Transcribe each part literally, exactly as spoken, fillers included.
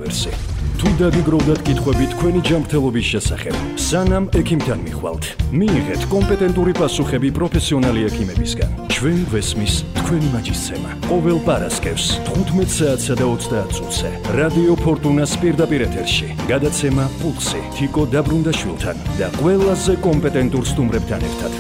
ვერსი. თუ დაგიგროვდათ კითხვები თქვენი ჯანმრთელობის შესახებ, სანამ ექიმთან მიხვალთ, მიიღეთ კომპეტენტური პასუხები პროფესიონალი ექიმებისგან. ჩვენ გვესმის თქვენი მაჯისცემა. ყოველ პარასკევს თხუთმეტ საათსა და ოცდაათ წუთზე რადიო ფორტუნას პირდაპირ ეთერში გადაცემა პულსი თიკო დაბრუნდაშვილთან და ყველაზე კომპეტენტურ სტუმრებთან ერთად.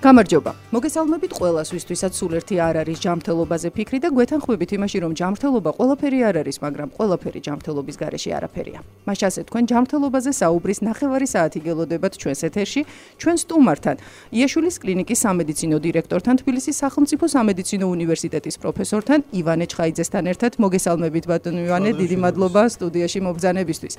გამარჯობა. მოგესალმებით ყველას, ვისთვისაც სულ ერთი არ არის ჯანმრთელობაზე ფიქრი და გვეთანხმებით იმაში, რომ ჯანმრთელობა ყველაფერი არ არის, მაგრამ ყველაფერი ჯანმრთელობის გარეშე არაფერია. მას ასე თქვენ ჯანმრთელობაზე საუბრის ნახევარი საათი გელოდებათ ჩვენს ეთერში, ჩვენ სტუმართან, იაშვილის კლინიკის სამედიცინო დირექტორთან, თბილისის სახელმწიფო სამედიცინო უნივერსიტეტის პროფესორთან, ივანე ჩხაიძესთან ერთად. მოგესალმებით ბატონო ივანე, დიდი მადლობა სტუდიაში მობრძანებისთვის.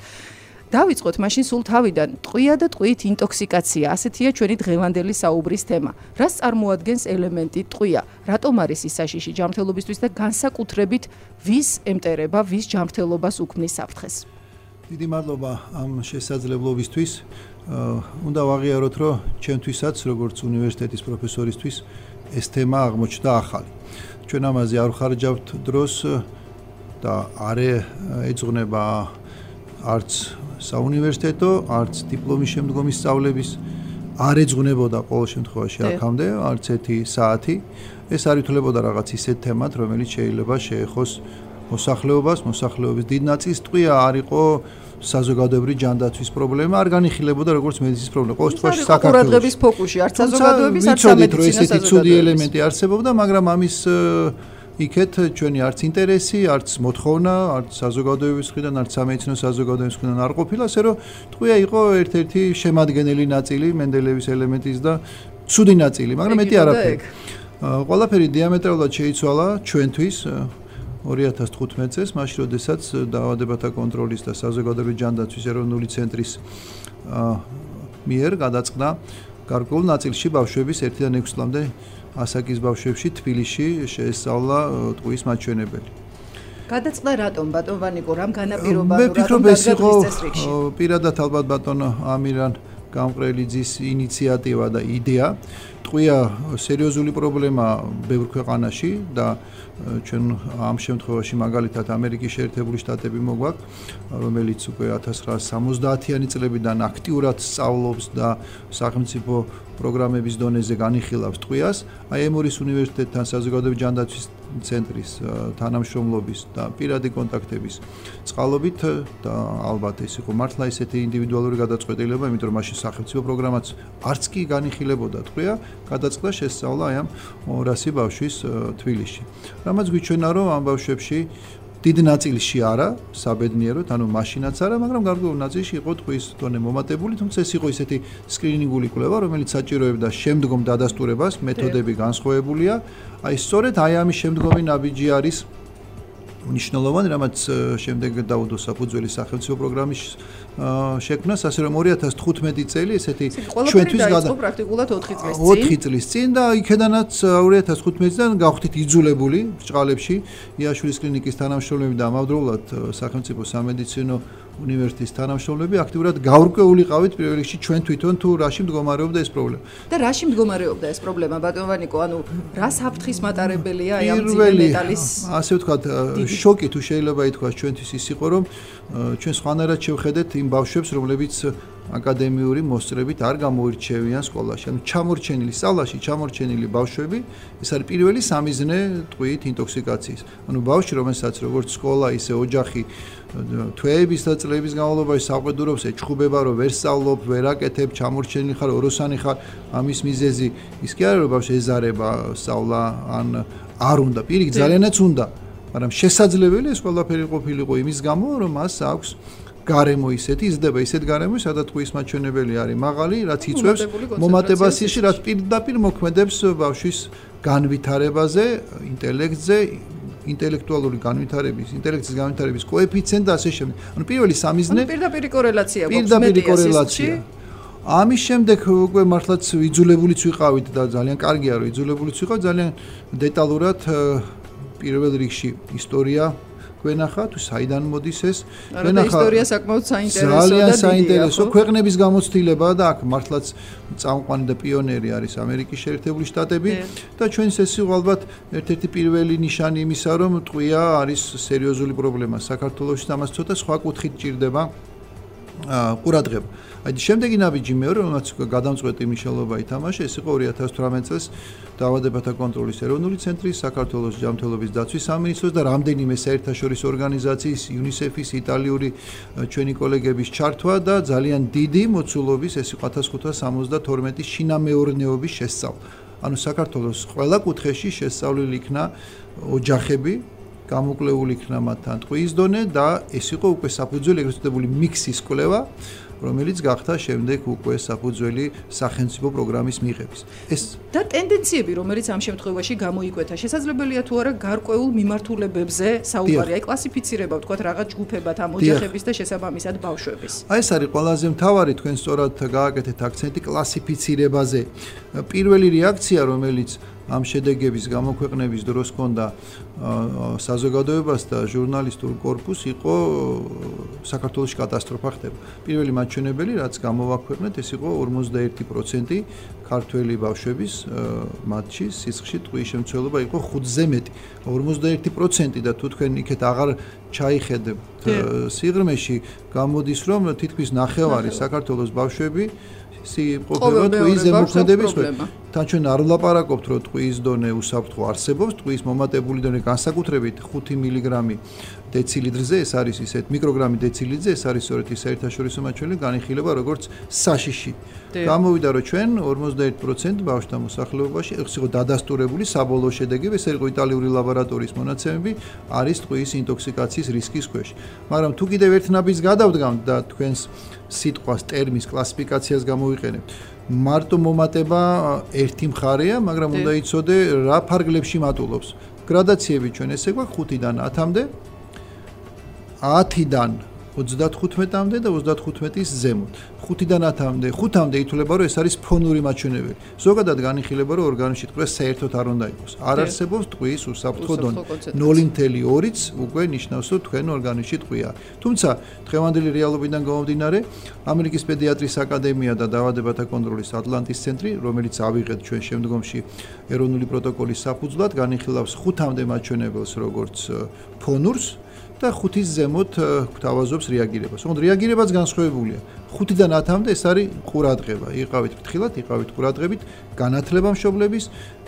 დავიწყოთ მაშინ სულ თავიდან. ტყვია და ტყვიით ინტოქსიკაცია, ასეთია ჩვენი დღევანდელი საუბრის თემა. რას წარმოადგენს ელემენტი ტყვია? რატომ არის ის საშიში ჯანმრთელობისთვის და განსაკუთრებით ვის ემტერება, ვის ჯანმრთელობას უქმნის საფრთხეს? დიდი მადლობა ამ შესაძლებლობისთვის. უნდა ვაღიაროთ, რომ ჩემთვისაც, როგორც უნივერსიტეტის პროფესორისთვის, ეს თემა აღმოჩნდა ახალი. ჩვენ ამაზე არ ვხარჯავთ დროს და არ ეძღვნება არც საუნივერსიტეტო, არც დიპლომის შემდგომი სწავლების არ ეძღვნებოდა ყოველ შემთხვევაში აქამდე არც ერთი საათი. ეს არ ითვლებოდა რაღაც ისეთ თემად, რომელიც შეიძლება შეეხოს მოსახლეობას, მოსახლეობის დიდ ნაწილს. ტყვია არ იყო საზოგადოებრივი ჯანდაცვის პრობლემა, არ განიხილებოდა როგორც მედიცინის პრობლემა. ყოველ შემთხვევაში საქართველოს ყურადღების ფოკუსში, არც საზოგადოების, არც სამედიცინო ესეთი ცუდი ელემენტი არსებობდა, მაგრამ ამის იქეთ ჩვენი არც ინტერესი, არც მოთხოვნა, არც საზოგადოების მხრიდან, არც სამედიცინო საზოგადოების მხრიდან არ ყოფილა, ასე რომ ტყვია იყო ერთ-ერთი შემადგენელი ნაწილი მენდელეევის ელემენტის და ცუდი ნაწილი, მაგრამ მეტი არაფერი. ყველაფერი დიამეტრალურად შეიცვალა ჩვენთვის ორი ათას თხუთმეტ წელს, მაშინ როდესაც დაავადებათა კონტროლის და საზოგადოებრივი ჯანდაცვის ეროვნული ცენტრის მიერ გადაწყდა გარკვეულ ნაწილში ბავშვების ერთიდან ექვსი წლამდე ასაკის ბავშვებში თბილისში შეესწავლა ტყვის მაჩვენებელი. გადაწყდა რატომ ბატონ ვანიკო, რამ განაპირობა მე ვფიქრობ ეს იყო პირადად ალბათ ბატონ ამირან გამყრელიძის ინიციატივა და იდეა. ტყვია სერიოზული პრობლემა ბევრ ქვეყანაში და ჩვენ ამ შემთხვევაში მაგალითად ამერიკის შეერთებული შტატები მოგვაქვს, რომელიც უკვე ათას ცხრაასი სამოცდაათიანი წლებიდან აქტიურად სწავლობს და სახელმწიფო პროგრამების დონეზე განიხილავს ტყვიას. აი ემორის უნივერსიტეტთან საზოგადოებრივი ჯანდაცვის ცენტრის თანამშრომლობის და პირადი კონტაქტების წყალობით და ალბათ ეს იყო მართლა ისეთი ინდივიდუალური გადაწყვეტილება, იმიტომ რომ მაშინ სახელმწიფო პროგრამაც არც კი განიხილებოდა ტყვია, გადაწყდა შესწავლა აი ამ ორასი ბავშვის თბილისში. რამაც გვიჩვენა, რომ ამ ბავშვებში დიდ ნაწილში არა, საბედნიეროდ, ანუ მაშინაც არა, მაგრამ გარკვეულ ნაწილში იყო ტყვის დონე მომატებული, თუმცა ეს იყო ისეთი სკრინინგული კვლევა, რომელიც საჭიროებდა შემდგომ დადასტურებას, მეთოდები განსხვავებულია. აი სწორედ აი ამის შემდგომი ნაბიჯი არის მნიშვნელოვანი, რამაც შემდეგ დაუდო საფუძველი სახელმწიფო პროგრამის შექმნას, ასე რომ ორი ათას თხუთმეტი წელი ესეთი ჩვენთვის გადაწყდა პრაქტიკულად ოთხი წლის წინ. ოთხი წლის წინ და იქედანაც ორი ათას თხუთმეტიდან გავხდით იძულებული ბრჭყალებში იაშვილის კლინიკის თანამშრომლები და ამავდროულად სახელმწიფო სამედიცინო უნივერსიტეტის თანამშრომლები აქტიურად გაურკვეულიყავით პირველ რიგში ჩვენ თვითონ თუ რაში მდგომარეობდა ეს პრობლემა. და რაში მდგომარეობდა ეს პრობლემა ბატონ ვანიკო, ანუ რა საფრთხის მატარებელია აი ამ ძიმე მეტალის ასე ვთქვათ შოკი თუ შეიძლება ითქვას ჩვენთვის ის იყო, რომ ჩვენ სხვანაირად შევხედეთ იმ ბავშვებს, რომლებიც აკადემიური მოსწრებით არ გამოირჩევიან სკოლაში. ანუ ჩამორჩენილი სწავლაში, ჩამორჩენილი ბავშვები, ეს არის პირველი სამიზნე ტყვიით ინტოქსიკაციის. ანუ ბავშვი, რომელსაც როგორც სკოლა, ისე ოჯახი თვეების და წლების განმავლობაში საყვედურობს, ეჩხუბება, რომ ვერ სწავლობ, ვერ აკეთებ, ჩამორჩენილი ხარ, ოროსანი ხარ, ამის მიზეზი ის კი არა, რომ ბავშვი ეზარება სწავლა, ან არ უნდა, პირიქით ძალიანაც უნდა, მაგრამ შესაძლებელია ეს ყველაფერი ყოფილიყო იმის გამო, რომ მას აქვს გარემო ისეთი, იზრდება ისეთ გარემო, სადაც ტყვის მაჩვენებელი არის მაღალი, რაც იწვევს მომატებას ისე, რაც პირდაპირ მოქმედებს ბავშვის განვითარებაზე, ინტელექტზე, ინტელექტუალური განვითარების, ინტელექტის განვითარების კოეფიციენტი და ასე შემდეგ. ანუ პირველი სამიზნე პირდაპირი კორელაცია გვაქვს, პირდაპირი კორელაცია. ამის შემდეგ უკვე მართლაც იძულებულიც ვიყავით და ძალიან კარგია, რომ იძულებულიც ვიყავ ძალიან დეტალურად პირველ რიგში ისტორია გვენახა თუ საიდან მოდის ეს გვენახა ისტორია საკმაოდ საინტერესოა ძალიან საინტერესო ქვეყნების გამოცდილებაა და აქ მართლაც წამყვანი და პიონერი არის ამერიკის შეერთებული შტატები და ჩვენს ეს იყო ალბათ ერთ-ერთი პირველი ნიშანი იმისა რომ ტყვია არის სერიოზული პრობლემა საქართველოში და ამას ცოტა სხვა კუთხით ჭირდება ყურადღება. აი შემდეგი ნაბიჯი მეორე რომელსაც გადამწყვეტი მნიშვნელობა ითამაშა ეს იყო ორი ათას თვრამეტ წელს დაავადებათა კონტროლის ეროვნული ცენტრის საქართველოს ჯანმრთელობის დაცვის სამინისტროს და რამდენიმე საერთაშორისო ორგანიზაციის იუნისეფის იტალიური ჩვენი კოლეგების ჩართვა და ძალიან დიდი მოცულობის ეს იყო ათას ხუთას სამოცდათორმეტი შინამეურნეობის შესწავლა. ანუ საქართველოს ყველა კუთხეში შესწავლილი იქნა ოჯახები გამოკლეული იქნა მათთან ტყუის დონე და ეს იყო უკვე საფუძველი ეგრეთ წოდებული მიქსის კვლევა რომელიც გახდა შემდეგ უკვე საფუძველი სახელმწიფო პროგრამის მიღების. ეს და ტენდენციები, რომელიც ამ შემთხვევაში გამოიკვეთა, შესაძლებელია თუ არა გარკვეულ მიმართულებებზე საუბარი, აი კლასიფიცირება, ვთქვათ, რაღაც ჯგუფებად ამ ოჯახების და შესაბამისად ბავშვების. აი ეს არის ყველაზე მთავარი თქვენ სწორად გააკეთეთ აქცენტი კლასიფიცირებაზე. პირველი რეაქცია, რომელიც ამ შედეგების გამოქვეყნების დროს ჰქონდა საზოგადოებას და ჟურნალისტურ კორპუსს იყო საქართველოს კატასტროფა ხდება. პირველი მაჩვენებელი, რაც გამოვაქვეყნეთ, ეს იყო ორმოცდაერთი პროცენტი ქართველი ბავშვების მათში სისხლში ტყუის შემცველობა იყო ხუთზე მეტი. ორმოცდაერთი პროცენტი და თუ თქვენ იქეთ აღარ ჩაიხედებთ სიღრმეში, გამოდის რომ თითქმის ნახევარი საქართველოს ბავშვები სიყვარული ტყუის ზემოქმედების პრობლემა. თან ჩვენ არ ვლაპარაკობთ რომ ტყუის დონე უსაფრთხო არსებობს, ტყუის მომატებული დონე განსაკუთრებით ხუთი მილიგრამი დეცილიტრზე, ეს არის ისეთ მიკროგრამი დეცილიტრზე, ეს არის სწორედ ის საერთაშორისო მაჩვენებელი განიხილება როგორც საშიში. გამოვიდა რომ ჩვენ ორმოცდაერთი პროცენტი ბავშვთა მოსახლეობაში, ეს იყო დადასტურებული საბოლოო შედეგები, ეს იყო იტალიური ლაბორატორიის მონაცემები, არის ტყუის ინტოქსიკაციის რისკის ქვეშ. მაგრამ თუ კიდევ ერთ ნაბიჯს გადავდგამთ და თქვენს სიტყვას ტერმის კლასიფიკაციას გამოვიყენებთ, მარტო მომატება ერთი მხარეა, მაგრამ უნდა იცოდე რა ფარგლებში მატულობს. გრადაციები ჩვენ ესე გვაქვს ხუთიდან ათამდე, ათიდან ოცდათხუთმეტამდე და ოცდათხუთმეტის ზემოთ. ხუთიდან ათამდე, ხუთამდე ითვლება რომ ეს არის ფონური მაჩვენებელი. ზოგადად განიხილება რომ ორგანიზმში ტყუა საერთოდ არ უნდა იყოს. არ არსებობს ტყუის უსაფრთხო დონე. ნული ნული ორიც უკვე ნიშნავს რომ თქვენ ორგანიზმში ტყუა. თუმცა დღევანდელი რეალობიდან გამომდინარე, ამერიკის პედიატრის აკადემია და დაავადებათა კონტროლის ატლანტის ცენტრი, რომელიც ავიღეთ ჩვენ შემდგომში ეროვნული პროტოკოლის საფუძვლად, განიხილავს ხუთამდე მაჩვენებელს როგორც ფონურს და ხუთის ზემოთ გვთავაზობს რეაგირებას. თუმცა რეაგირებაც განსხვავებულია. ხუთიდან ათამდე ეს არის ყურადღება. იყავით ფრთხილად, იყავით ყურადღებით, განათლება მშობლების,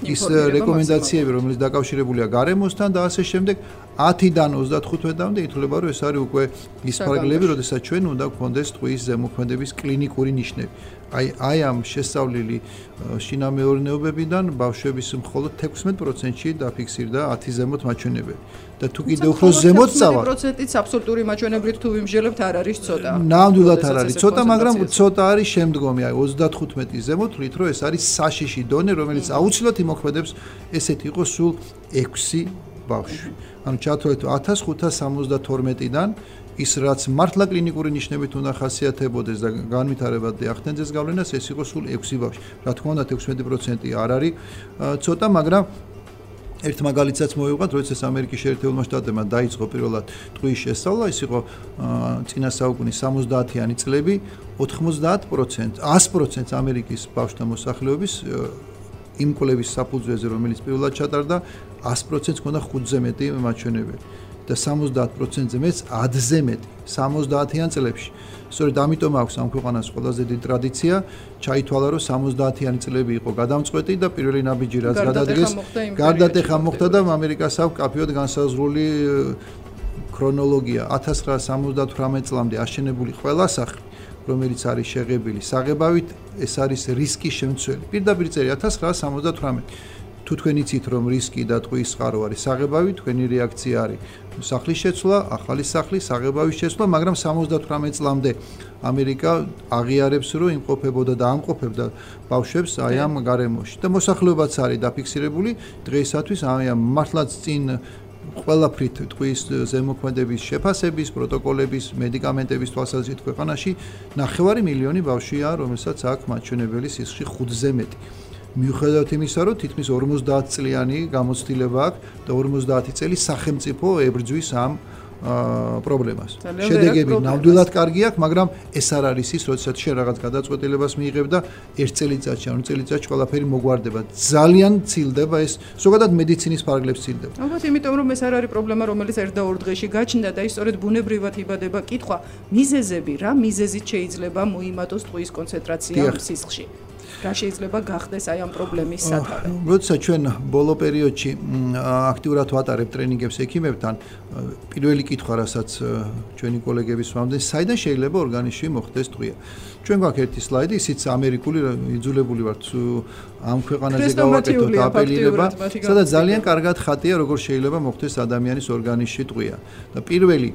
ის რეკომენდაციები, რომელიც დაკავშირებულია გარემოსთან და ასე შემდეგ. ათიდან ოცდათხუთმეტამდე ითვლება, რომ ეს არის უკვე ის ფარგლები, როდესაც ჩვენ უნდა გვქონდეს ტყუის ზემოქმედების კლინიკური ნიშნები. აი აი ამ შესწავლილი შინამეურნეობებიდან ბავშვების მხოლოდ თექვსმეტ პროცენტში დაფიქსირდა ათი ზემოთ მაჩვენებელი. და თუ კიდევ უფრო ზემოთ წავა პროცენტიც აბსოლუტური მაჩვენებლით თუ ვიმსჯელებთ არ არის ცოტა. ნამდვილად არ არის ცოტა, მაგრამ ცოტა არის შემდგომი, აი ოცდათხუთმეტის ზემოთ ვთვლით, რომ ეს არის საშიში დონე, რომელიც აუცილებლად იმოქმედებს ესეთი იყო სულ ექვსი ბავშვი. ანუ ჩათვალეთ ათას ხუთას სამოცდათორმეტიდან ის რაც მართლა კლინიკური ნიშნებით უნდა ხასიათებოდეს და განვითარებადი ახდენდეს გავლენას, ეს იყო სულ ექვსი ბავშვი. რა თქმა უნდა თექვსმეტი პროცენტი არ არის ცოტა, მაგრამ ერთ მაგალითსაც მოვიღოთ, როდესაც ამერიკის შეერთებულმა შტატებმა დაიწყო პირველად ტყუის შესწავლა, ის იყო წინა საუკუნის სამოცდაათიანი წლები, ოთხმოცდაათ პროცენტს, ას პროცენტს ამერიკის ბავშვთა მოსახლეობის იმ კვლევის საფუძველზე, რომელიც პირველად ჩატარდა, ას პროცენტს ჰქონდა ხუთზე მეტი მაჩვენებელი. და სამოცდაათ პროცენტზე მეც ათზე მეტი სამოცდაათიან წლებში. სწორედ ამიტომ აქვს ამ ქვეყანას ყველაზე დიდი ტრადიცია, ჩაითვალა რომ სამოცდაათიანი წლები იყო გადამწყვეტი და პირველი ნაბიჯი რაც გადადგეს, გარდატეხა მოხდა და ამერიკას აქვს კაფეოდ განსაზღვრული ქრონოლოგია. ათას ცხრაასა სამოცდათვრამეტ წლამდე აშენებული ყველა სახლი, რომელიც არის შეღებილი საღებავით, ეს არის რისკის შემცველი. პირდაპირ წერია ათას ცხრაასა სამოცდათვრამეტი. თუ თქვენ იცით რომ რისკი და ტყუის წყარო არის საღებავი, თქვენი რეაქცია არის სახლის შეცვლა, ახალი სახლის საღებავის შეცვლა, მაგრამ სამოცდათვრამეტ წლამდე ამერიკა აღიარებს რომ იმყოფებოდა და ამყოფებდა ბავშვებს აი ამ გარემოში და მოსახლეობაც არის დაფიქსირებული დღეისათვის აი ამ მართლაც წინ ყველაფრით ტყუის ზემოქმედების შეფასების, პროტოკოლების, მედიკამენტების თვალსაზრისით ქვეყანაში ნახევარი მილიონი ბავშვია, რომელსაც აქვს მაჩვენებელი სისხლში ხუთზე მეტი. მიუხედავად იმისა, რომ თითქმის ორმოცდაათ წლიანი გამოცდილება აქვს და ორმოცდაათი წელი სახელმწიფო ებრძვის ამ პრობლემას. შედეგები ნამდვილად კარგი აქვს, მაგრამ ეს არ არის ის, როდესაც შენ რაღაც გადაწყვეტილებას მიიღებ და ერთ წელიწადში, ან წელიწადში ყველაფერი მოგვარდება. ძალიან ცილდება ეს, ზოგადად მედიცინის ფარგლებს ცილდება. ალბათ იმიტომ რომ ეს არ არის პრობლემა, რომელიც ერთ და ორ დღეში გაჩნდა და ის სწორედ ბუნებრივად იბადება. კითხვა, მიზეზები რა მიზეზით შეიძლება მოიმატოს ტყუის კონცენტრაცია სისხლში? რა შეიძლება გახდეს აი ამ პრობლემის სათავე? როდესაც ჩვენ ბოლო პერიოდში აქტიურად ვატარებთ ტრენინგებს ექიმებთან, პირველი კითხვა, რასაც ჩვენი კოლეგები სვამდნენ, საიდან შეიძლება ორგანიზმში მოხდეს ტყვია? ჩვენ გვაქვს ერთი სლაიდი, ისიც ამერიკული იძულებული ვართ ამ ქვეყანაზე გავაკეთოთ აპელირება, სადაც ძალიან კარგად ხატია, როგორ შეიძლება მოხდეს ადამიანის ორგანიზმში ტყვია. და პირველი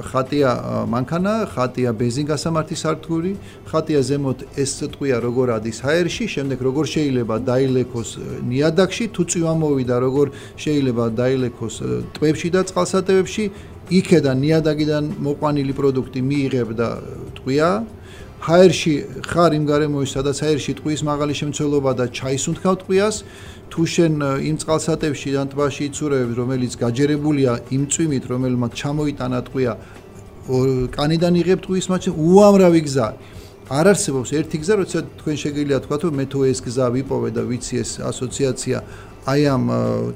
ხატია მანქანა, ხატია ბენზინგასამართი სადგური, ხატია ზემოთ ეს ტყვია როგორ ადის ჰაერში, შემდეგ როგორ შეიძლება დაილექოს ნიადაგში, თუ წვიმა მოვიდა, როგორ შეიძლება დაილექოს ტბებში და წყალსატევებში, იქედან ნიადაგიდან მოყვანილი პროდუქტი მიიღებ და ტყვია. ჰაერში ხარ იმ გარემოში, სადაც ჰაერში ტყვის მაღალი შემცველობა და ჩაისუნთქავ ტყვიას, თუ შენ იმ წყალსატევში ან ტბაში იცურებ, რომელიც გაჯერებულია იმ წვიმით, რომელმაც ჩამოიტანა ტყვია, კანიდან იღებ ტყვის მაჩვენებელს, უამრავი გზა. არ არსებობს ერთი გზა, როდესაც თქვენ შეგიძლია თქვათ, რომ მე თუ ეს გზა ვიპოვე და ვიცი ეს ასოციაცია აი ამ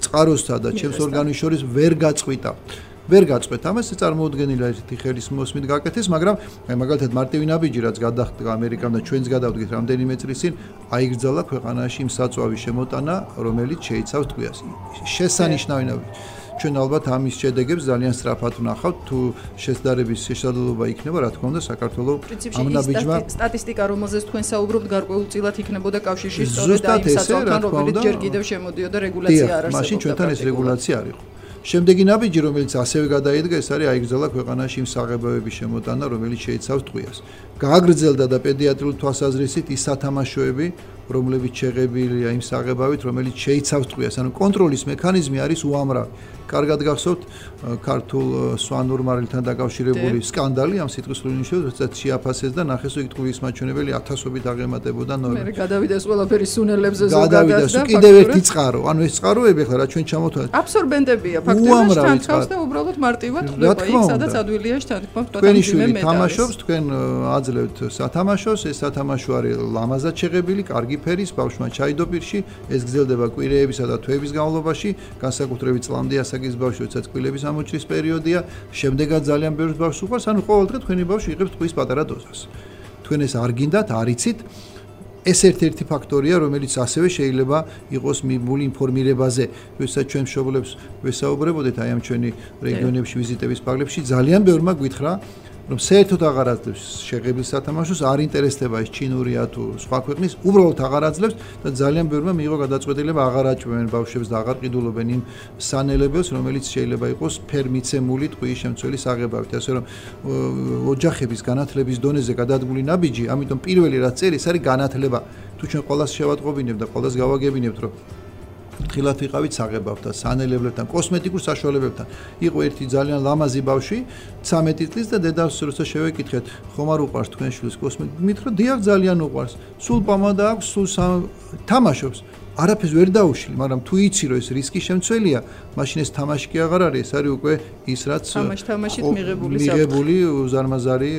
წყაროსთა და ჩემს ორგანიზმს შორის ვერ გაწყვიტა. ვერ გაწყვეტ ამას, წარმოუდგენელია ერთი ხელის მოსმით გაკეთეს, მაგრამ აი მაგალითად მარტივი ნაბიჯი რაც გადახდა ამერიკამ და ჩვენც გადავდგეთ რამდენიმე წლის წინ, აიგრძალა ქვეყანაში იმ საწვავის შემოტანა, რომელიც შეიცავს ტყვიას. შესანიშნავი ნაბიჯი. ჩვენ ალბათ ამის შედეგებს ძალიან სწრაფად ვნახავთ, თუ შესაძლებლობის შესაძლებლობა იქნება, რა თქმა უნდა, საქართველოს ამ ნაბიჯმა სტატისტიკა, რომელზეც თქვენ საუბრობთ, გარკვეულწილად იქნებოდა კავშირში სწორედ ამ საწვავთან, რომელიც ჯერ კიდევ შემოდიოდა რეგულაცია არ არსებობდა. მაშინ ჩვენთან ეს რეგულაცია არ იყო. შემდეგი ნაბიჯი, რომელიც ასევე გადაიდგა, ეს არის აიგრძალა ქვეყანაში იმ საღებავების შემოტანა, რომელიც შეიცავს ტყვიას. გააგრძელდა და პედიატრიული თვალსაზრისით ის სათამაშოები, რომლებიც შეღებილია იმ საღებავით, რომელიც შეიცავს ტყვიას. ანუ კონტროლის მექანიზმი არის უამრავი. კარგად გახსოვთ ქართულ სვანურ მარილთან დაკავშირებული სკანდალი ამ სიტყვის სრულინიშნულს, როდესაც შეაფასეს და ნახეს, რომ ტყვის მაჩვენებელი ათასობით აღემატებოდა ნორმას. მე გადავიდა ეს ყველაფერი სუნელებზე ზოგადად და კიდევ ერთი წყარო. ანუ ეს წყაროები ახლა რა ჩვენ ჩამოთვალეთ. აბსორბენტებია ფაქტობრივად თანხავს და უბრალოდ მარტივად ხდება იქ, სადაც ადვილია შეთანხმება თქვენი შვილი თამაშობს, თქვენ აძლევთ სათამაშოს, ეს სათამაშო არის ლამაზად შეღებილი, კარგი ფერის, ბავშვმა ჩაიდო პირში, ეს გრძელდება კვირეებისა და თვეების განმავლობაში, განსაკუთრებით წლამდე ასაკის ბავშვი, როდესაც კვილების ამოჭრის პერიოდია, შემდეგაც ძალიან ბევრ ბავშვს უყვარს, ანუ ყოველდღე თქვენი ბავშვი იღებს ტყვის პატარა დოზას. თქვენ ეს არ გინდათ, არ იცით, ეს ერთ-ერთი ფაქტორია, რომელიც ასევე შეიძლება იყოს მიბული ინფორმირებაზე, როდესაც ჩვენ მშობლებს ვესაუბრებოდეთ აი ამ ჩვენი რეგიონებში ვიზიტების ფარგლებში, ძალიან ბევრმა გვითხრა, რომ საერთოდ აღარ აძლევს შეღებილ სათამაშოს, არ ინტერესდება ეს ჩინურია თუ სხვა ქვეყნის, უბრალოდ აღარ აძლევს და ძალიან ბევრმა მიიღო გადაწყვეტილება აღარ აჭმევენ ბავშვებს და აღარ ყიდულობენ იმ სანელებელს, რომელიც შეიძლება იყოს ფერმიცემული ტყუის შემცველი საღებავით. ასე რომ ოჯახების განათლების დონეზე გადადგმული ნაბიჯი, ამიტომ პირველი რაც წერს, არის განათლება. თუ ჩვენ ყველას შევატყობინებთ და ყველას გავაგებინებთ, რომ ხილათ ვიყავით საღებავთან, სანელებლებთან, კოსმეტიკურ საშუალებებთან. იყო ერთი ძალიან ლამაზი ბავშვი, ცამეტი წლის და დედას როცა შევეკითხეთ, ხომ არ უყვარს თქვენ შვილს კოსმეტიკა? მითხრა, დიახ, ძალიან უყვარს. სულ პამადა აქვს, სულ თამაშობს. არაფერს ვერ დაუშლი, მაგრამ თუ იცი რომ ეს რისკი შემცველია, მაშინ ეს თამაში კი აღარ არის, ეს არის უკვე ის რაც თამაშ-თამაშით მიღებული მიღებული უზარმაზარი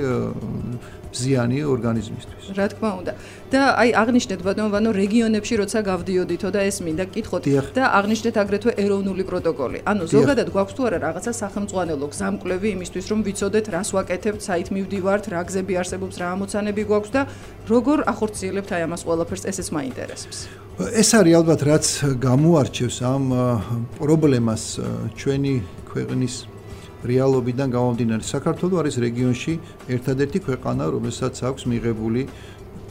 ზიანი ორგანიზმისთვის. რა თქმა უნდა. და აი აღნიშნეთ ბატონო ვანო რეგიონებში როცა გავდიოდითო და ეს მინდა გკითხოთ და აღნიშნეთ აგრეთვე ეროვნული პროტოკოლი. ანუ ზოგადად გვაქვს თუ არა რაღაცა სახელმწიფო გზამკვლევი იმისთვის რომ ვიცოდეთ რას ვაკეთებთ, საით მივდივართ, რა გზები არსებობს, რა ამოცანები გვაქვს და როგორ ახორციელებთ აი ამას ყველაფერს, ესეც მაინტერესებს. ეს არის ალბათ რაც გამოარჩევს ამ პრობლემას ჩვენი ქვეყნის რეალობიდან გამომდინარე. საქართველო არის რეგიონში ერთადერთი ქვეყანა, რომელსაც აქვს მიღებული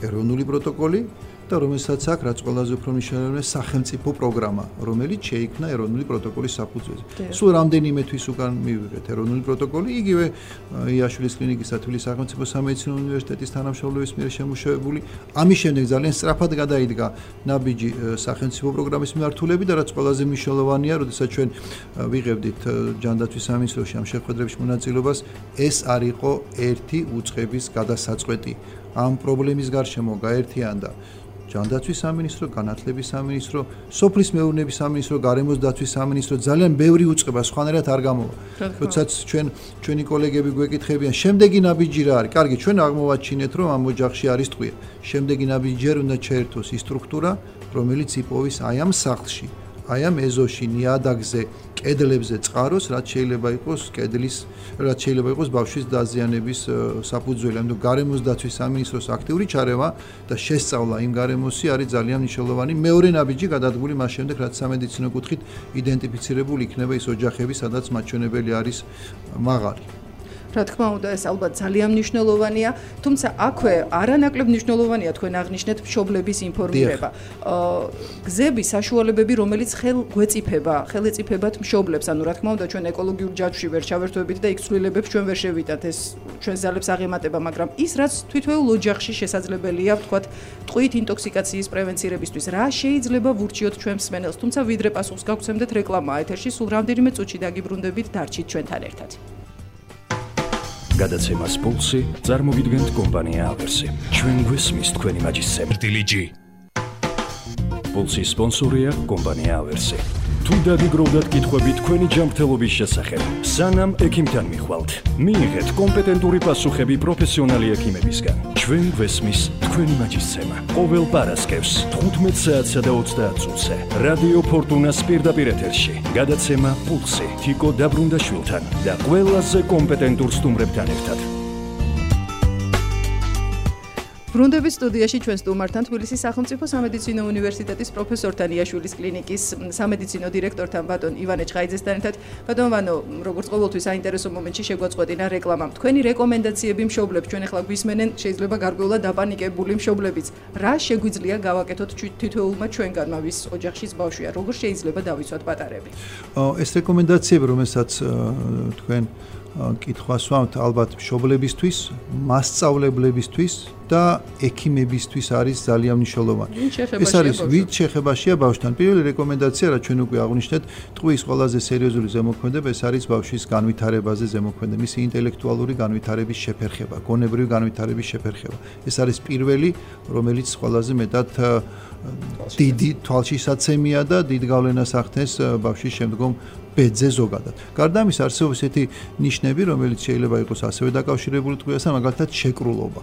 ეროვნული პროტოკოლი და რომელსაც აქვს რაც ყველაზე უფრო მნიშვნელოვანია სახელმწიფო პროგრამა, რომელიც შეიქმნა ეროვნული პროტოკოლის საფუძველზე. სულ რამდენიმე თვის უკან მივიღეთ ეროვნული პროტოკოლი, იგივე იაშვილის კლინიკის თბილისის სახელმწიფო სამედიცინო უნივერსიტეტის თანამშრომლობის მიერ შემუშავებული. ამის შემდეგ ძალიან სწრაფად გადაიდგა ნაბიჯი სახელმწიფო პროგრამის მიმართულებით და რაც ყველაზე მნიშვნელოვანია, როდესაც ჩვენ ვიღებდით ჯანდაცვის სამინისტროში ამ შეხვედრებში მონაწილეობას, ეს არ იყო ერთი უწყების გადასაწყვეტი. ამ პრობლემის გარშემო გაერთიანდა ჯანდაცვის სამინისტრო, განათლების სამინისტრო, სოფლის მეურნეობის სამინისტრო, გარემოს დაცვის სამინისტრო, ძალიან ბევრი უწყება, სხვანაირად არ გამოვა. როდესაც ჩვენ ჩვენი კოლეგები გვეკითხებიან, შემდეგი ნაბიჯი რა არის? კარგი, ჩვენ აღმოვაჩინეთ, რომ ამ ოჯახში არის ტყვია. შემდეგი ნაბიჯი უნდა ჩაერთოს ის სტრუქტურა, რომელიც იპოვის აი ამ სახლში, აი ამ ეზოში, ნიადაგზე, კედლებზე წყაროს, რაც შეიძლება იყოს კედლის, რაც შეიძლება იყოს ბავშვის დაზიანების საფუძველი. ამიტომ გარემოს დაცვის სამინისტროს აქტიური ჩარევა და შესწავლა იმ გარემოსი არის ძალიან მნიშვნელოვანი. მეორე ნაბიჯი გადადგმული მას შემდეგ, რაც სამედიცინო კუთხით იდენტიფიცირებული იქნება ის ოჯახები, სადაც მაჩვენებელი არის მაღალი. რა თქმა უნდა, ეს ალბათ ძალიან მნიშვნელოვანია, თუმცა აქვე არანაკლებ მნიშვნელოვანია თქვენ აღნიშნეთ მშობლების ინფორმირება. გზები, საშუალებები, რომელიც ხელ გვეწიფება, ხელ ეწიფებათ მშობლებს, ანუ რა თქმა უნდა, ჩვენ ეკოლოგიურ ჯაჭვში ვერ ჩავერთვებით და იქ ცვლილებებს ჩვენ ვერ შევიტანთ, ეს ჩვენ ზალებს აღემატება, მაგრამ ის რაც თვითოეულ ოჯახში შესაძლებელია, ვთქვათ, ტყვით ინტოქსიკაციის პრევენცირებისთვის, რა შეიძლება ვურჩიოთ ჩვენ მსმენელს, თუმცა ვიდრე პასუხს გავცემდეთ რეკლამა ეთერში, სულ რამდენიმე წუთში დაგიბრუნდებით, დარჩით ჩვენთან ერთად. გადაცემას პულსი წარმოვიდგენთ კომპანია ავერსი. ჩვენ გვესმის თქვენი მაჯისცემრტილიჯი. პულსის სპონსორია კომპანია ავერსი. თუ დაგიგროვდათ კითხვები თქვენი ჯანმრთელობის შესახებ, სანამ ექიმთან მიხვალთ, მიიღეთ კომპეტენტური პასუხები პროფესიონალი ექიმებისგან. ჩვენ გვესმის თქვენი მაჯისცემა. ყოველ პარასკევს თხუთმეტ საათსა და ოცდაათ წუთზე რადიო ფორტუნას პირდაპირ ეთერში. გადაცემა პულსი თიკო დაბრუნდაშვილთან და ყველაზე კომპეტენტურ სტუმრებთან ერთად. ბრუნდების სტუდიაში ჩვენ სტუმართან თბილისის სახელმწიფო სამედიცინო უნივერსიტეტის პროფესორთან იაშვილის კლინიკის სამედიცინო დირექტორთან ბატონ ივანე ჩხაიძესთან ერთად. ბატონ ვანო, როგორც ყოველთვის საინტერესო მომენტში შეგვაწყვეტინა რეკლამა. თქვენი რეკომენდაციები მშობლებს ჩვენ ახლა გვისმენენ, შეიძლება გარკვეულად დაპანიკებული მშობლებიც. რა შეგვიძლია გავაკეთოთ თითოეულმა ჩვენგანმა, ვის ოჯახშიც ბავშვია, როგორ შეიძლება დავიცვათ პატარები? ეს რეკომენდაციები, რომელსაც თქვენ კითხვას ვამთ, ალბათ მშობლებისთვის, მასწავლებლებისთვის და ექიმებისთვის არის ძალიან მნიშვნელოვანი. ეს არის ვით შეხებაშია ბავშვთან. პირველი რეკომენდაცია, რაც ჩვენ უკვე აღვნიშნეთ, ტყვის ყველაზე სერიოზული ზემოქმედება, ეს არის ბავშვის განვითარებაზე ზემოქმედება, მისი ინტელექტუალური განვითარების შეფერხება, გონებრივი განვითარების შეფერხება. ეს არის პირველი, რომელიც ყველაზე მეტად დიდი თვალშისაცემია და დიდ გავლენას ახდენს ბავშვის შემდგომ ბედზე ზოგადად. გარდა ამისა, არსებობს ესეთი ნიშნები, რომელიც შეიძლება იყოს ასევე დაკავშირებული ტყვიასთან, მაგალითად შეკრულობა.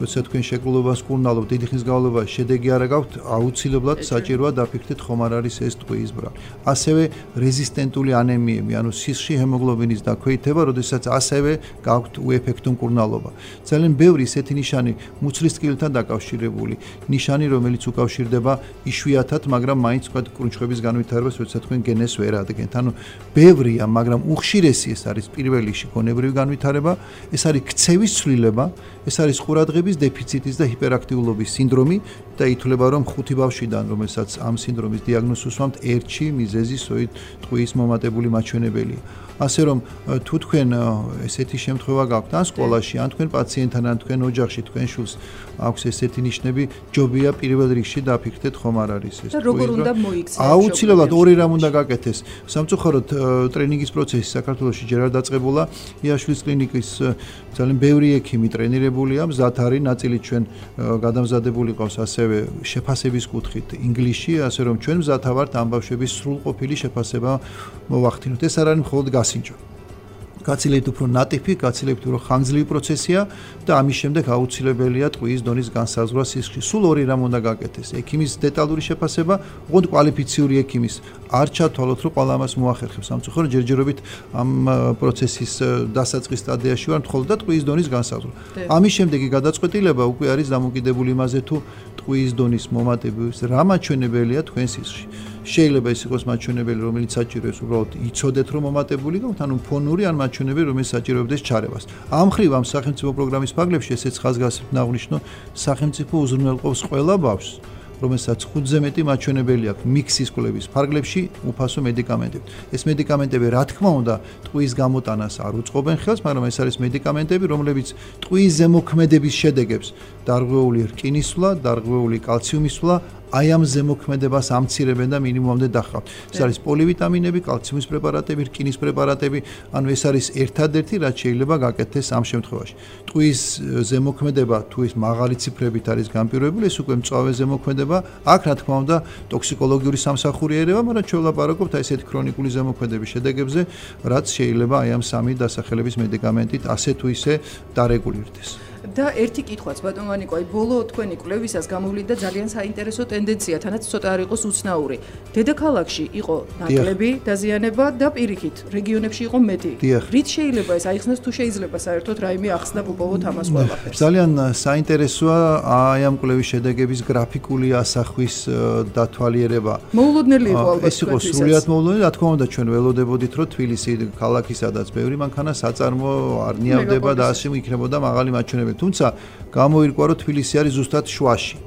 როცა თქვენ შეკრულობას კურნალობთ, დიდი ხნის განმავლობაში შედეგი არ გაქვთ, აუცილებლად საჭიროა დაფიქრდეთ, ხომ არ არის ეს ტყუის ბრალი. ასევე რეზისტენტული ანემიები, ანუ სისხლში ჰემოგლობინის დაქვეითება, როდესაც ასევე გაქვთ უეფექტო მკურნალობა. ძალიან ბევრი ესეთი ნიშანი მუცლის ტკივილთან დაკავშირებული, ნიშანი, რომელიც უკავშირდება იშვიათად, მაგრამ მაინც ვთქვათ კრუნჩხების განვითარებას, როცა თქვენ გენეს ვერ ადგენთ. ანუ ბევრია, მაგრამ უხშირესი ეს არის პირველი გონებრივი განვითარება, ეს არის ქცევის ცვლილება, ეს არის ყურადღების დეფიციტის და ჰიპერაქტიულობის სინდრომი და ითვლება, რომ ხუთი ბავშვიდან, რომელსაც ამ სინდრომის დიაგნოზს უსვამთ, ერთში მიზეზი სწორედ ტყუის მომატებული მაჩვენებელია. ასე რომ თუ თქვენ ესეთი შემთხვევა გაქვთ ან სკოლაში, ან თქვენ პაციენტთან, ან თქვენ ოჯახში, თქვენ შვილს აქვს ესეთი ნიშნები, ჯობია პირველ რიგში დაფიქრდეთ, ხომ არ არის ეს. და როგორ უნდა მოიქცეს? აუცილებლად ორი რამ უნდა გაკეთდეს. სამწუხაროდ ტრენინგის პროცესი საქართველოში ჯერ არ დაწყებულა. იაშვილის კლინიკის ძალიან ბევრი ექიმი ტრენირებულია, მზად არის, ნაწილი ჩვენ გადამზადებული ყავს ასევე შეფასების კუთხით ინგლისში, ასე რომ ჩვენ მზად ვართ ამ ბავშვების სრულყოფილი შეფასება მოვახდინოთ. ეს არ არის მხოლოდ გასინჯო. გაცილებით უფრო ნატიფი, გაცილებით უფრო ხანგრძლივი პროცესია და ამის შემდეგ აუცილებელია ტყუის დონის განსაზღვრა სისხლში. სულ ორი რამ უნდა გაკეთდეს. ექიმის დეტალური შეფასება, ოღონდ კვალიფიციური ექიმის. არ ჩათვალოთ, რომ ყველა ამას მოახერხებს. სამწუხაროდ ჯერჯერობით ამ პროცესის დასაწყის სტადიაში ვართ, მხოლოდ და ტყუის დონის განსაზღვრა. ამის შემდეგი გადაწყვეტილება უკვე არის დამოკიდებული იმაზე, თუ ტყუის დონის მომატების რა მაჩვენებელია თქვენ სისხლში. შეიძლება ის იყოს მაჩვენებელი, რომელიც საჭიროებს უბრალოდ იცოდეთ, რომ მომატებული გაქვთ, ანუ ფონური ან მაჩვენებელი, რომელიც საჭიროებდეს ჩარევას. ამ ხრივ ამ სახელმწიფო პროგრამის ფარგლებში ესეც ხაზგასმით ნაღვნიშნო, სახელმწიფო უზრუნველყოფს ყველა ბავშვს, რომელსაც ხუთზე მეტი მაჩვენებელი აქვს მიქსის კვლევის ფარგლებში უფასო მედიკამენტები. ეს მედიკამენტები, რა თქმა უნდა, ტყუის გამოტანას არ უწყობენ ხელს, მაგრამ ეს არის მედიკამენტები, რომლებიც ტყუის ზემოქმედების შედეგებს, დარღვეული რკინის სვლა, დარღვეული კალციუმის სვლა აი ამ ზემოქმედებას ამცირებენ და მინიმუმამდე დაჰყავთ. ეს არის პოლივიტამინები, კალციუმის პრეპარატები, რკინის პრეპარატები, ანუ ეს არის ერთადერთი, რაც შეიძლება გაკეთდეს ამ შემთხვევაში. ტყუის ზემოქმედება თუ ის მაღალი ციფრებით არის განპირობებული, ეს უკვე მწვავე ზემოქმედება, აქ რა თქმა უნდა ტოქსიკოლოგიური სამსახური ერევა, მაგრამ ჩვენ ვლაპარაკობთ აი ესეთი ქრონიკული ზემოქმედების შედეგებზე, რაც შეიძლება აი ამ სამი დასახელების მედიკამენტით ასე თუ ისე დარეგულირდეს. და ერთი კითხვაც ბატონო ანიკო, აი ბოლო თქვენი კვლევისას გამოვლინდა ძალიან საინტერესო ტენდენცია, თანაც ცოტა არ იყოს უცნაური. დედაქალაქში იყო ნაკლები დაზიანება და პირიქით რეგიონებში იყო მეტი. რით შეიძლება ეს აიხსნას თუ შეიძლება საერთოდ რაიმე ახსნა უპოვოთ ამას ყველაფერს? ძალიან საინტერესოა აი ამ კვლევის შედეგების გრაფიკული ასახვის დათვალიერება. მოულოდნელი იყო ალბათ. ეს იყო სრულიად მოულოდნელი, რა თქმა უნდა ჩვენ ველოდებოდით, რომ თბილისი ქალაქი სადაც ბევრი მანქანა საწარმო არ ნიავდება და ასე იქნებოდა მაღალი მაჩვენებელი. თუმცა გამოირკვა რომ თბილისი არის ზუსტად შუაში.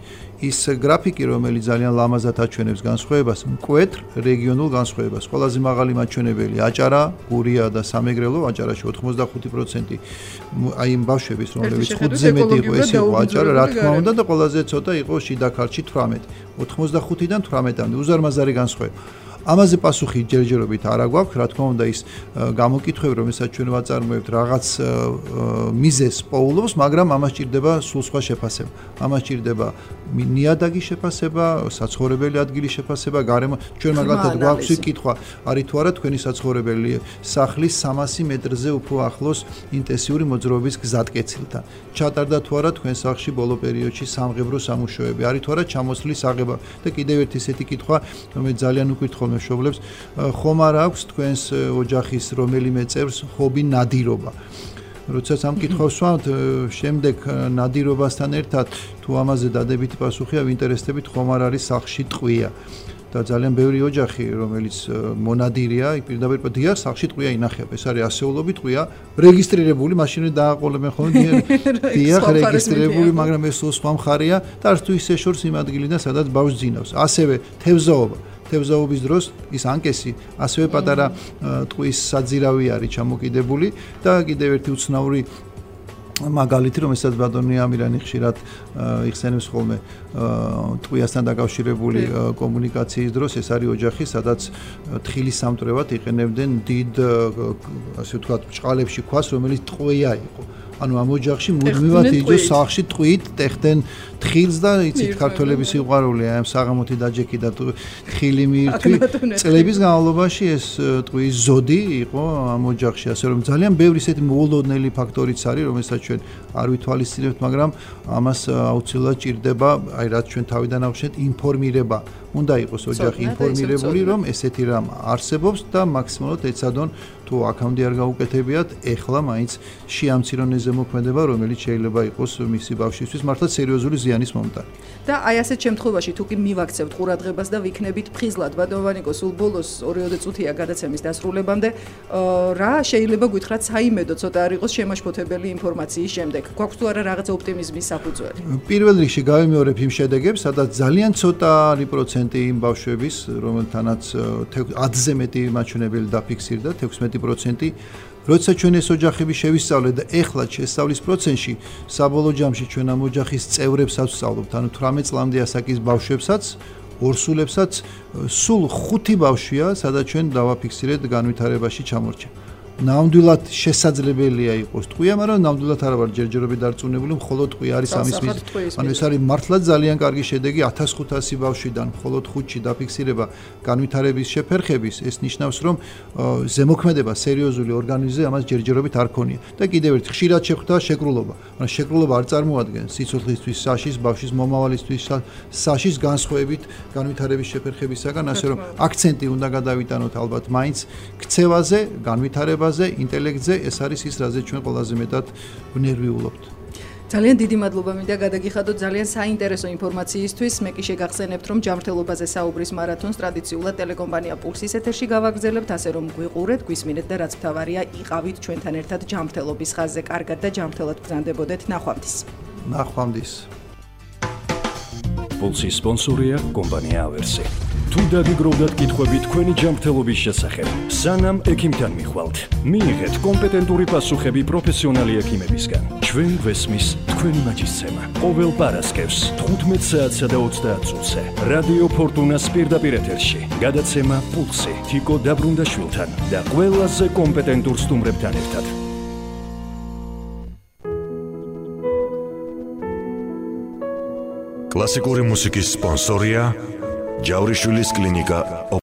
ის გრაფიკი რომელიც ძალიან ლამაზად აჩვენებს განსხვავებას, მკვეთრ რეგიონულ განსხვავებას. ყველაზე მაღალი მაჩვენებელი აჭარა, გურია და სამეგრელო, აჭარაში ოთხმოცდახუთი პროცენტი აი იმ ბავშვების რომლებიც ხუთზე მეტი იყო, ეს იყო აჭარა, რა თქმა უნდა და ყველაზე ცოტა იყო შიდა ქართლში თვრამეტი. ოთხმოცდახუთიდან თვრამეტამდე უზარმაზარი განსხვავება. ამაზე პასუხი ჯერჯერობით არ აგვაქვს, რა თქმა უნდა ის გამოკითხვები, რომელსაც ჩვენ ვაწარმოებთ, რაღაც მიზეზს პოულობს, მაგრამ ამას ჭირდება სულ სხვა შეფასება. ამას ჭირდება ნიადაგის შეფასება, საცხოვრებელი ადგილის შეფასება, გარემო. ჩვენ მაგალითად გვაქვს კითხვა, არის თუ არა თქვენი საცხოვრებელი სახლი სამასი მეტრზე უფრო ახლოს ინტენსიური მოძრაობის გზატკეცილთან. ჩატარდა თუ არა თქვენ სახლში ბოლო პერიოდში სამღებრო სამუშაოები, არის თუ არა ჩამოსვლის აღება და კიდევ ერთი ესეთი კითხვა, რომელიც ძალიან უკითხავ მშობლებს, ხომ არ აქვს თქვენს ოჯახის რომელიმე წევრს ჰობი ნადირობა. როდესაც ამ კითხვას ვსვამთ, შემდეგ ნადირობასთან ერთად თუ ამაზე დადებითი პასუხია, ვინტერესდებით ხომ არ არის სახლში ტყვია. და ძალიან ბევრი ოჯახი, რომელიც მონადირია, პირდაპირ დიახ, სახლში ტყვია ინახება. ეს არის ასეულობი ტყვია, რეგისტრირებული, მაშინ დააყოლებენ ხოლმე დიახ, რეგისტრირებული, მაგრამ ეს სხვა მხარეა და არც თუ ისე შორს იმ ადგილიდან, სადაც ბავშვს ძინავს. ასევე თევზაობა თევზაობის დროს ის ანკესი ასევე პატარა ტყვის საძირავი არის ჩამოკიდებული და კიდევ ერთი უცნაური მაგალითი, რომელსაც ბატონი ამირანი ხშირად იხსენებს ხოლმე ტყვიასთან დაკავშირებული კომუნიკაციის დროს, ეს არის ოჯახი, სადაც თხილის სამტვრევად იყენებდნენ დიდ, ასე ვთქვათ, ბრჭყალებში ქვას, რომელიც ტყვია იყო. ანუ ამ ოჯახში მუდმივად იჯო სახლში ტყვით ტეხტენ თხილს და იცით ქართველების სიყვარული აი ამ საღამოთი დაჯექი და თხილი მიირთვი წლების განმავლობაში ეს ტყვის ზოდი იყო ამ ოჯახში, ასე რომ ძალიან ბევრი ისეთი მოულოდნელი ფაქტორიც არის, რომელსაც ჩვენ არ ვითვალისწინებთ, მაგრამ ამას აუცილებლად ჭირდება, აი რაც ჩვენ თავიდან ავხსნით, ინფორმირება. უნდა იყოს ოჯახი ინფორმირებული, რომ ესეთი რამ არსებობს და მაქსიმალურად ეცადონ თუ აქამდე არ გაუკეთებიათ, ეხლა მაინც შეამცირონ ეს ზემოქმედება, რომელიც შეიძლება იყოს მისი ბავშვისთვის მართლა სერიოზული ზიანის მომტანი. და აი ასეთ შემთხვევაში თუ კი მივაქცევთ ყურადღებას და ვიქნებით ფხიზლად, ბატონო ანიკო, სულ ბოლოს ორი-ოცი წუთია გადაცემის დასრულებამდე, რა შეიძლება გითხრათ საიმედო ცოტა არ იყოს შემაშფოთებელი ინფორმაციის შემდეგ. გვაქვს თუ არა რაღაც ოპტიმიზმის საფუძველი? პირველ რიგში გავიმეორებ იმ შედეგებს, სადაც ძალიან ცოტა პროცენტი იმ ბავშვების, რომელთანაც ათზე მეტი მაჩვენებელი დაფიქსირდა, თექვსმეტი პროცენტი. როდესაც ჩვენ ეს ოჯახები შევისწავლეთ და ეხლა შესწავლის პროცესში საბოლოო ჯამში ჩვენ ამ ოჯახის წევრებსაც ვსწავლობთ, ანუ თვრამეტ წლამდე ასაკის ბავშვებსაც, ორსულებსაც, სულ ხუთი ბავშვია, სადაც ჩვენ დავაფიქსირეთ განვითარებაში ჩამორჩა. ნამდვილად შესაძლებელია იყოს ტყვია, მაგრამ ნამდვილად არ ვარ ჯერჯერობით დარწმუნებული, მხოლოდ ტყვია არის ამის მიზეზი. ანუ ეს არის მართლაც ძალიან კარგი შედეგი, ათას ხუთასი ბავშვიდან მხოლოდ ხუთში დაფიქსირება განვითარების შეფერხების, ეს ნიშნავს, რომ ზემოქმედება სერიოზული ორგანიზმზე ამას ჯერჯერობით არ ქონია. და კიდევ ერთი ხშირად შეხვდა შეკრულობა. მაგრამ შეკრულობა არ წარმოადგენს სიცოცხლისთვის საშიშს, ბავშვის მომავალისთვის საშიშს განსხვავებით განვითარების შეფერხებისაგან, ასე რომ აქცენტი უნდა გადავიტანოთ ალბათ მაინც ქცევაზე, განვითარებაზე ინტელექტზე, ეს არის ის, რაზე ჩვენ ყველაზე მეტად ვნერვიულობთ. ძალიან დიდი მადლობა მინდა გადაგიხადოთ ძალიან საინტერესო ინფორმაციისთვის. მე კი შეგახსენებთ, რომ ჯანმრთელობაზე საუბრის მარათონს ტრადიციულად ტელეკომპანია პულსის ეთერში გავაგრძელებთ, ასე რომ გვიყურეთ, გვისმინეთ და რაც მთავარია, იყავით ჩვენთან ერთად ჯანმრთელობის ხაზზე. კარგად და ჯანმრთელად ბრძანდებოდეთ. ნახვამდის. ნახვამდის. პულსის სპონსორია კომპანია ავერსი. თუ დაგიგროვდათ კითხვები თქვენი ჯანმრთელობის შესახებ, სანამ ექიმთან მიხვალთ, მიიღეთ კომპეტენტური პასუხები პროფესიონალი ექიმებისგან. ჩვენ გვესმის თქვენი მაჯისცემა. ყოველ პარასკევს თხუთმეტ საათსა და ოცდაათ წუთზე რადიო ფორტუნას პირდაპირ ეთერში გადაცემა პულსი თიკო დაბრუნდაშვილთან და ყველაზე კომპეტენტურ სტუმრებთან ერთად. კლასიკური მუსიკის სპონსორია ჯავრიშვილის კლინიკა